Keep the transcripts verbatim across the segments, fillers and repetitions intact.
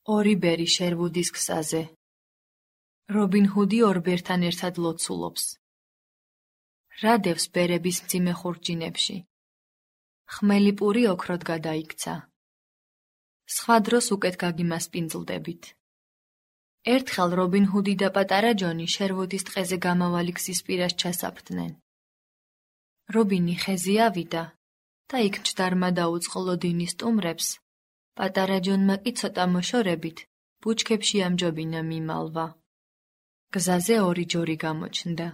ორი ბერი შერვუდის გზაზე. რობინ ჰუდი ორ ბერთან ერთად ლოცულობს. რა დევს ბერების მძიმე ხურჯინებში? ხმელი პური ოქროდ გადაიქცა. სხვა დროს უკეთ გაგიმასპინძლდებით. ერთხელ რობინ ჰუდი და პატარა ჯონი შერვუდის ტყეზე გამავალი გზის პირას ჩასაფრდნენ. რობინი ხეზე ავიდა და იქ მჭდარმა დაუწყლო დინის სტუმრებს. პატარა ჯონმა კი ცოტა მოშორებით ბუჩქებში ამჯობინა მიმალვა. გზაზე ორი ჯორი გამოჩნდა.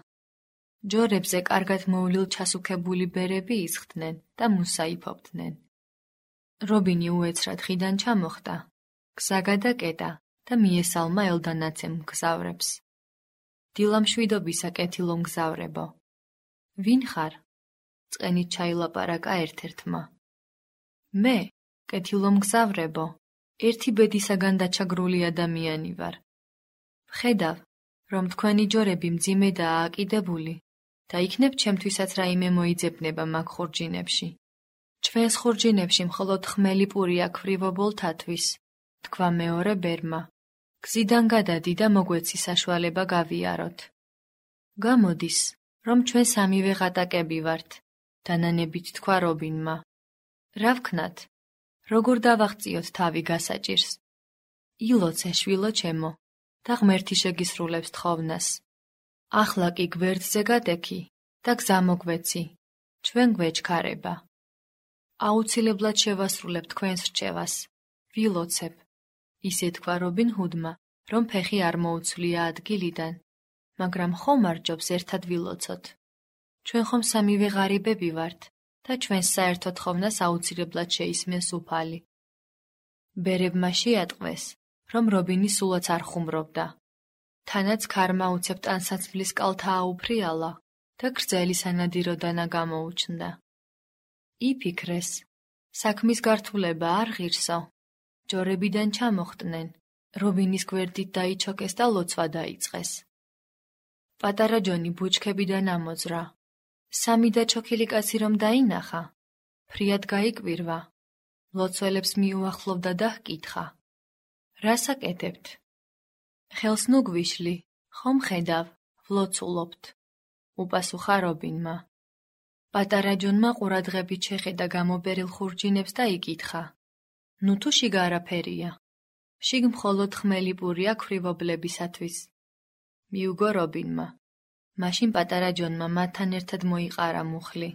ჯორებზე კარგად მოვლილ ჩასუქებული ბერები ისხდნენ და მუსაიფობდნენ. რობინი უეცრად ხიდან ჩამოხდა, გზა გადაკეტა და მიესალმა ელდანაცემ მგზავრებს. დილამშვიდობისა კეთილო მგზავრებო. ვინ ხარ? წყენით ჩაილაპარაკა ერთ-ერთმა. მე, კეთილო მგზავრებო, ერთი ბედისაგან დაჩაგრული ადამიანი ვარ. ვხედავ, რომ თქვენი ჯორები მძიმედაა აკიდებული და იქნებ ჩემთვისაც რაიმე მოიძებნება მაგ ხურჯინებში. ჩვენს ხურჯინებში მხოლოდ ხმელი პური აქვრივობოლთათვის, თქვა მეორე ბერმა. გზიდან გადადი და მოგვეცი საშუალება გავიაროთ. გამოდის, რომ ჩვენ სამივე ღატაკები ვართ, დანანებით თქვა რობინმა. რა ვქნათ? როგორ დავაღწიოთ თავი გასაჭირს? ილოცე შვილო ჩემო და ღმერთი შეგისრულებს თხოვნას. ახლა კი გვერდზე გადექი და გზა მოგვეცი, ჩვენ გვეჩქარება. აუცილებლად შევასრულებ თქვენს რჩევას, ვილოცებ. ისე თქვა რობინ ჰუდმა, რომ ფეხი არ მოუცვლია ადგილიდან, მაგრამ ხომ არ ჯობს ერთად ვილოცოთ. ჩვენ ხომ სამივე ღარიბები ვართ და ჩვენს საერთო თხოვნას აუცილებლად შეისმენს უფალი. ბერებმა შეატყვეს, რომ რობინი სულაც არ ხუმრობდა. თანაც ქარმა უცებ ტანსაცმლის კალთა აუფრიალა და გრძელი სანადიროდანა გამოუჩნდა. იფიქრეს, საქმის გართულება არ ღირსო. ჯორებიდან ჩამოხტნენ, რობინის გვერდით დაიჩოკეს და ლოცვა დაიწყეს. პატარა ჯონი ბუჩქებიდან ამოძრა. სამი და ჩოქილი კაცი რომ დაინახა, ფრიად გაიკვირვა. ლოცველებს მიუახლოვდა და ჰკითხა. რას აკეთებთ? ხელს ნუ გვიშლი, ხომ ხედავ, ვლოცულობთ, უპასუხა რობინმა. პატარა ჯონმა ყურადღებით შეხედა გამობერილ ხურჯინებს და იკითხა. ნუ თუ შიგ არაფერია. შიგ მხოლოდ ხმელი პურია ქვრივობლებისათვის. მიუგო რობინმა. მაშინ პატარა ჯონმა მათთან ერთად მოიყარა მუხლი.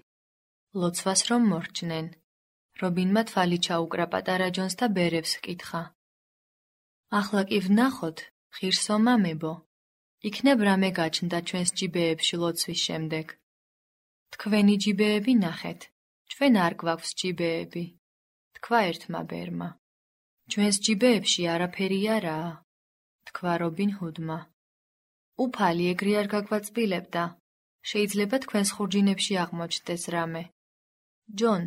ლოცვას რომ მორჩნენ. რობინმა თვალი ჩაუკრა პატარა ჯონს და ბერებს ჰკითხა. ახლა კი ვნახოთ, ღირსო მამებო, იქნებ რამე გაჩნდა ჩვენს ჯიბეებში ლოცვის შემდეგ. თქვენი ჯიბეები ნახეთ, ჩვენ არ გვაქვს ჯიბეები, თქვა ერთმა ბერმა. ჩვენს ჯიბეებში არაფერი არაა, თქვა რობინ ჰუდმა. უფალი ეგრე არ გაგვაწბილებდა, შეიძლება თქვენს ხურჯინებში აღმოჩნდეს რამე. ჯონ,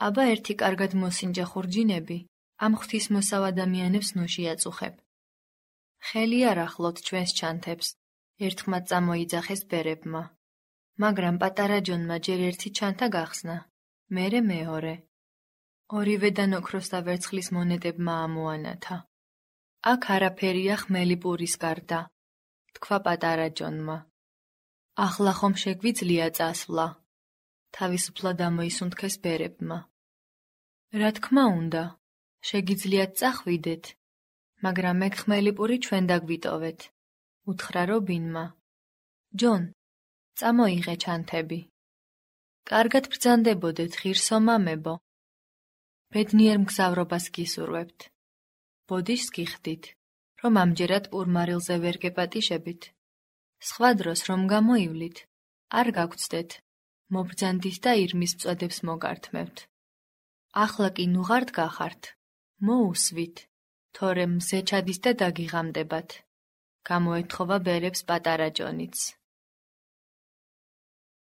აბა ერთი კარგად მოსინჯა ხურჯინები, ამ ღვთისმოსავ ადამიანებს ნუ შეაწუხებ. ხელი არ ახლოთ ჩვენს ჩანთებს, ერთხმად წამოიძახეს ბერებმა. მაგრამ პატარა ჯონმა ჯერ ერთი ჩანთა გახსნა, მერე მეორე. ორივედან ოქროს და ვერცხლის მონეტებმა ამოანათა. აქ არაფერია ხმელი პურის გარდა, თქვა პატარა ჯონმა. ახლა ხომ შეგვიძლია წასვლა? თავისუფლად ამოისუნთქეს ბერებმა. რა თქმა უნდა, შეგიძლიათ წახვიდეთ, მაგრამ მე ხმელი პური ჩვენ დაგვიტოვეთ, უთხრა რობინმა. ჯონ, წამოიღე ჩანთები. კარგად ბრძანდებოდეთ, ღირსო მამებო. ბედნიერ მგზავრობას გისურვებთ. ბოდიშს გიხდით, რომ ამჯერად პურმარილზე ვერ გეპატიშებით. სხვა დროს რომ გამოივლით, არ გაგცდეთ, მობრძანდით და ირმის მწოდებს მოგართმევთ. ახლა კი ნუღართ გახართ, მოუსვით, თორემ მზე ჩადის და დაგიღამდებათ. გამოეთხოვა ბერებს პატარა ჯონიც.